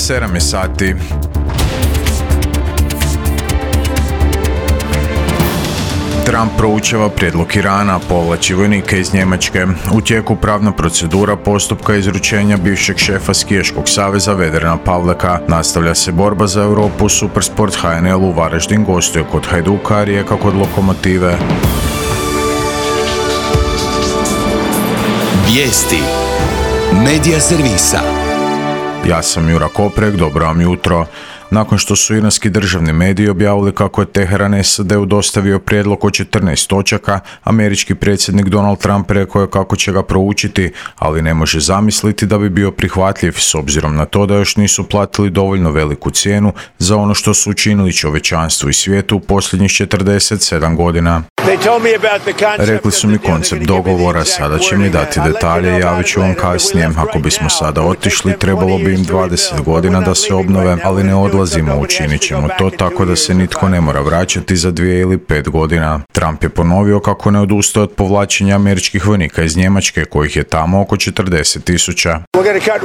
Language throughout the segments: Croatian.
7 je sati. Trump proučava prijedlog Irana povlači vojnike iz Njemačke. U tijeku pravna procedura postupka izručenja bivšeg šefa skijaškog saveza Vedrana Pavleka. Nastavlja se borba za Europu. Supersport HNL u Varaždin gostuje kod Hajduka, a Rijeka kod Lokomotive. Vijesti Medija servisa. Ja sam Jura Koprek, dobro vam jutro. Nakon što su iranski državni mediji objavili kako je Teheran SAD-u dostavio prijedlog od 14 točaka, američki predsjednik Donald Trump rekao je kako će ga proučiti, ali ne može zamisliti da bi bio prihvatljiv s obzirom na to da još nisu platili dovoljno veliku cijenu za ono što su učinili čovječanstvu i svijetu u posljednjih 47 godina. Rekli su mi koncept dogovora, sada će mi dati detalje i javit ću vam kasnije. Ako bismo sada otišli, trebalo bi im 20 godina da se obnove, ali ne odlazimo, učinit ćemo to tako da se nitko ne mora vraćati za 2 ili 5 godina. Trump je ponovio kako ne odustaje od povlačenja američkih vojnika iz Njemačke, kojih je tamo oko 40,000.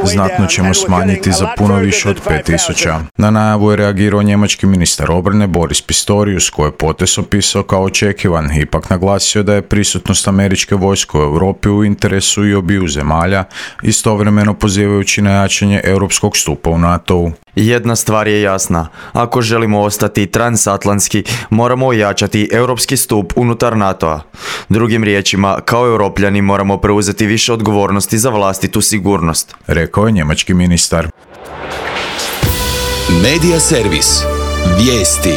Znatno ćemo smanjiti za puno više od 5,000. Na najavu je reagirao njemački ministar obrane Boris Pistorius, koji je potez opisao kao očekivan. Ipak naglasio da je prisutnost američke vojske u Europi u interesu i obiju zemalja, istovremeno pozivajući na jačanje europskog stupa u NATO-u. Jedna stvar je jasna. Ako želimo ostati transatlantski, moramo ojačati europski stup unutar NATO-a. Drugim riječima, kao europljani moramo preuzeti više odgovornosti za vlastitu sigurnost, rekao je njemački ministar. Medija servis. Vijesti.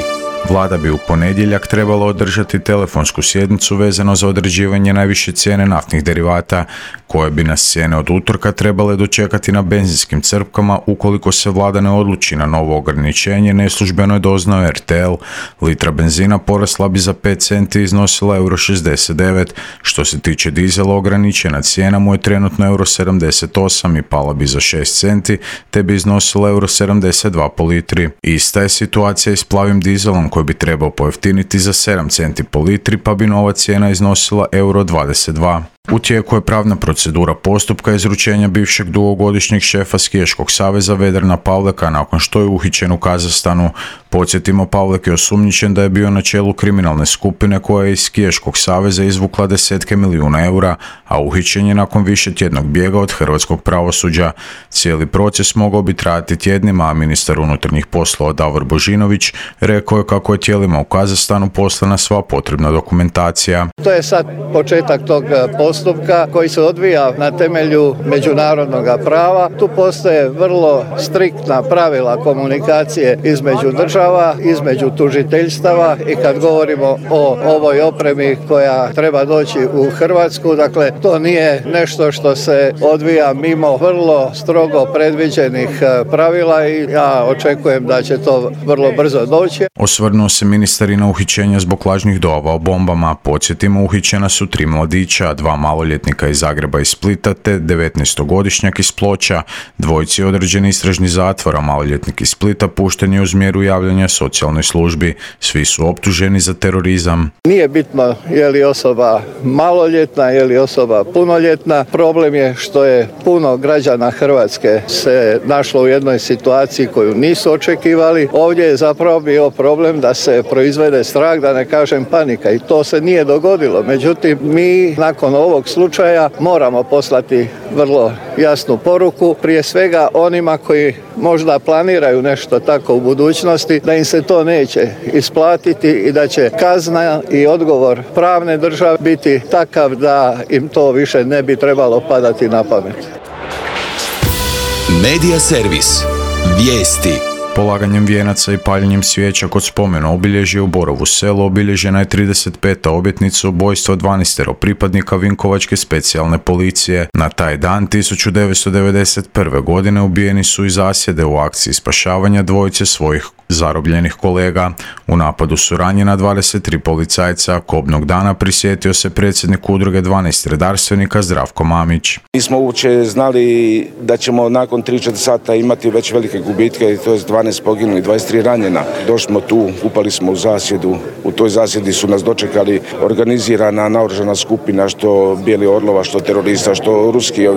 Vlada bi u ponedjeljak trebala održati telefonsku sjednicu vezano za određivanje najviše cijene naftnih derivata, koje bi nas cijene od utorka trebale dočekati na benzinskim crpkama ukoliko se vlada ne odluči na novo ograničenje. Neslužbeno je doznao RTL. Litra benzina porasla bi za 5 centi i iznosila €69. Što se tiče dizela, ograničena cijena mu je trenutno €78 i pala bi za 6 centi, te bi iznosila €72 po litri. Ista je situacija i s plavim dizelom, koji bi trebao pojeftiniti za 7 centi po litri, pa bi nova cijena iznosila €22. U tijeku je pravna procedura postupka izručenja bivšeg dugogodišnjeg šefa skijaškog saveza Vedrana Pavleka nakon što je uhićen u Kazahstanu. Podsjetimo, Pavlek je osumnjičen da je bio na čelu kriminalne skupine koja je iz skijaškog saveza izvukla desetke milijuna eura, a uhićen je nakon višetjednog bijega od hrvatskog pravosuđa. Cijeli proces mogao bi trajati tjednima, a ministar unutarnjih poslova Davor Božinović rekao je kako je tijelima u Kazahstanu poslana sva potrebna dokumentacija. To je sad početak tog postupka koji se odvija na temelju međunarodnog prava. Tu postoje vrlo striktna pravila komunikacije između država, između tužiteljstava i kad govorimo o ovoj opremi koja treba doći u Hrvatsku, dakle to nije nešto što se odvija mimo vrlo strogo predviđenih pravila i ja očekujem da će to vrlo brzo doći. Osvrnuo se ministar i na uhićenja zbog lažnih dojava o bombama. Podsjetimo, uhićena su 3 mladića, 2 maloljetnika iz Zagreba i Splita te 19-godišnjak iz Ploča. Dvojici je određen istražni zatvor, a maloljetnik iz Splita pušten je uz mjeru javljanja socijalnoj službi. Svi su optuženi za terorizam. Nije bitno je li osoba maloljetna, je li osoba punoljetna. Problem je što je puno građana Hrvatske se našlo u jednoj situaciji koju nisu očekivali. Ovdje je zapravo bio problem da se proizvede strah, da ne kažem panika, i to se nije dogodilo. Međutim, mi nakon ovog slučaja moramo poslati vrlo jasnu poruku, prije svega onima koji možda planiraju nešto tako u budućnosti, da im se to neće isplatiti i da će kazna i odgovor pravne države biti takav da im to više ne bi trebalo padati na pamet. Medija servis. Vijesti. Polaganjem vijenaca i paljenjem svijeća kod spomena obilježja u Borovu Selu obilježena je 35. obljetnica ubojstva 12 pripadnika Vinkovačke specijalne policije. Na taj dan 1991. godine ubijeni su iz zasjede u akciji spašavanja dvojice svojih zarobljenih kolega. U napadu su ranjena 23 policajca. Kobnog dana prisjetio se predsjednik udruge 12 redarstvenika Zdravko Mamić. Nismo uopće znali da ćemo nakon 3-4 sata imati već velike gubitke, to je 12 poginuli, 23 ranjena. Došli smo tu, upali smo u zasjedu. U toj zasjedi su nas dočekali organizirana naoružana skupina, što Bijeli Orlova, što terorista, što ruski,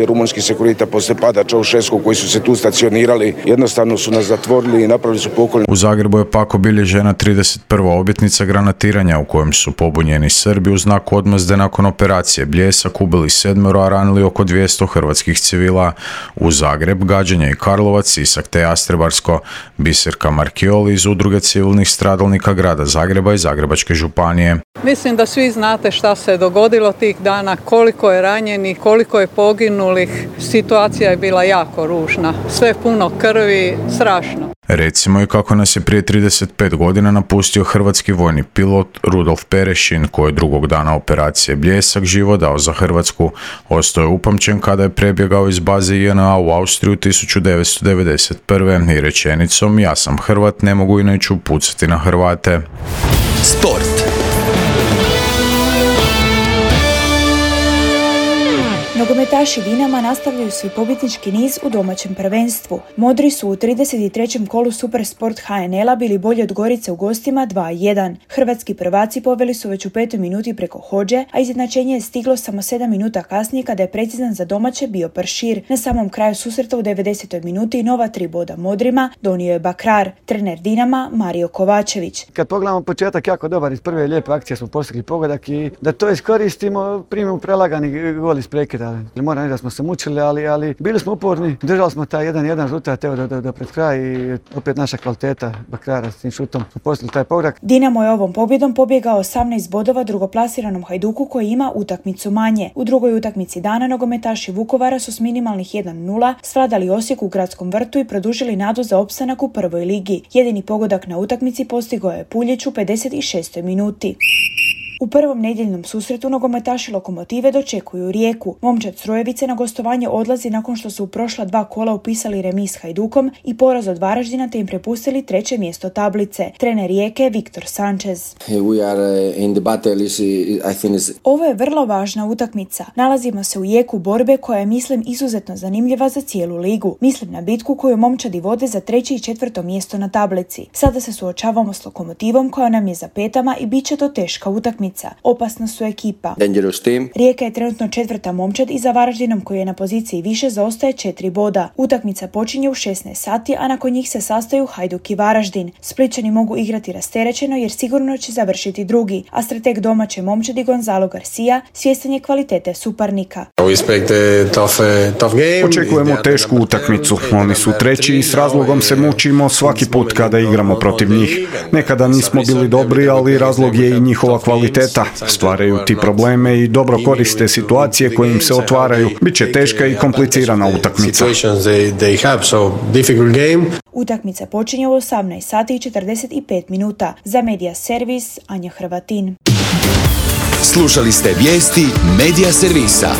rumunski sekurita poslije pada Čaušesku koji su se tu stacionirali. Jednostavno su nas zatvorili i napravili su pokolj. U Zagrebu je pak obilježena 31. obljetnica granatiranja u kojem su pobunjeni Srbi u znak odmazde nakon operacije Bljesak ubili 7, a ranili oko 200 hrvatskih civila. U Zagreb, Gađenje i Karlovac, Sisak te Jastrebarsko. Biserka Markioli iz udruge civilnih stradalnika grada Zagreba i Zagrebačke županije. Mislim da svi znate šta se dogodilo tih dana, koliko je ranjenih, koliko je poginulih. Situacija je bila jako ružna. Sve puno krvi, strašno. Recimo i kako nas je prije 35 godina napustio hrvatski vojni pilot Rudolf Perešin, koji je drugog dana operacije Bljesak život dao za Hrvatsku. Ostao je upamćen kada je prebjegao iz baze JNA u Austriju 1991. i rečenicom "Ja sam Hrvat, ne mogu i neću pucati na Hrvate". Sport. Nogometaši Dinama nastavljaju svoj pobjednički niz u domaćem prvenstvu. Modri su u 33. kolu Supersport HNL-a bili bolji od Gorice u gostima 2-1. Hrvatski prvaci poveli su već u 5. minuti preko Hodže, a izjednačenje je stiglo samo 7 minuta kasnije kada je precizan za domaće bio Pršir. Na samom kraju susreta u 90. minuti nova 3 boda Modrima donio je Bakrar. Trener Dinama Mario Kovačević. Kad pogledamo početak, jako dobar, iz prve lijepe akcije smo postigli pogodak i da to iskoristimo, primimo prelagani gol iz prekida. Moram reći da smo se mučili, ali bili smo uporni, držali smo taj 1-1 rezultat do pred kraj i opet naša kvaliteta Bakrara s tim šutom smo postigli taj pogodak. Dinamo je ovom pobjedom pobjegao 18 bodova drugoplasiranom Hajduku koji ima utakmicu manje. U drugoj utakmici dana nogometaši Vukovara su s minimalnih 1-0 svladali Osijek u Gradskom vrtu i produžili nadu za opstanak u prvoj ligi. Jedini pogodak na utakmici postigao je Puljić u 56. minuti. U prvom nedjeljnom susretu nogometaši Lokomotive dočekuju Rijeku. Momčad Strojevice na gostovanje odlazi nakon što su u prošla 2 kola upisali remis s Hajdukom i poraz od Varaždina te im prepustili 3. mjesto tablice. Trener Rijeke Viktor Sanchez. Ovo je vrlo važna utakmica. Nalazimo se u jeku borbe koja je, mislim, izuzetno zanimljiva za cijelu ligu. Mislim na bitku koju momčadi vode za 3. i 4. mjesto na tablici. Sada se suočavamo s Lokomotivom koja nam je za petama i bit će to teška utakmica. Opasna su ekipa. Rijeka je trenutno 4. momčad i za Varaždinom koji je na poziciji više zaostaje 4 boda. Utakmica počinje u 16 sati, a nakon njih se sastaju Hajduk i Varaždin. Splićani mogu igrati rasterećeno jer sigurno će završiti drugi, a strateg domaće momčadi Gonzalo Garcia svjestan je kvalitete suparnika. Očekujemo tešku utakmicu. Oni su 3. i s razlogom se mučimo svaki put kada igramo protiv njih. Nekada nismo bili dobri, ali razlog je i njihova kvaliteta. Stvaraju ti probleme i dobro koriste situacije koje im se otvaraju. Biće teška i komplicirana utakmica. Utakmica počinje u 18 sati i 45 minuta. Za Media Servis, Anja Hrvatin. Slušali ste vijesti Media Servisa.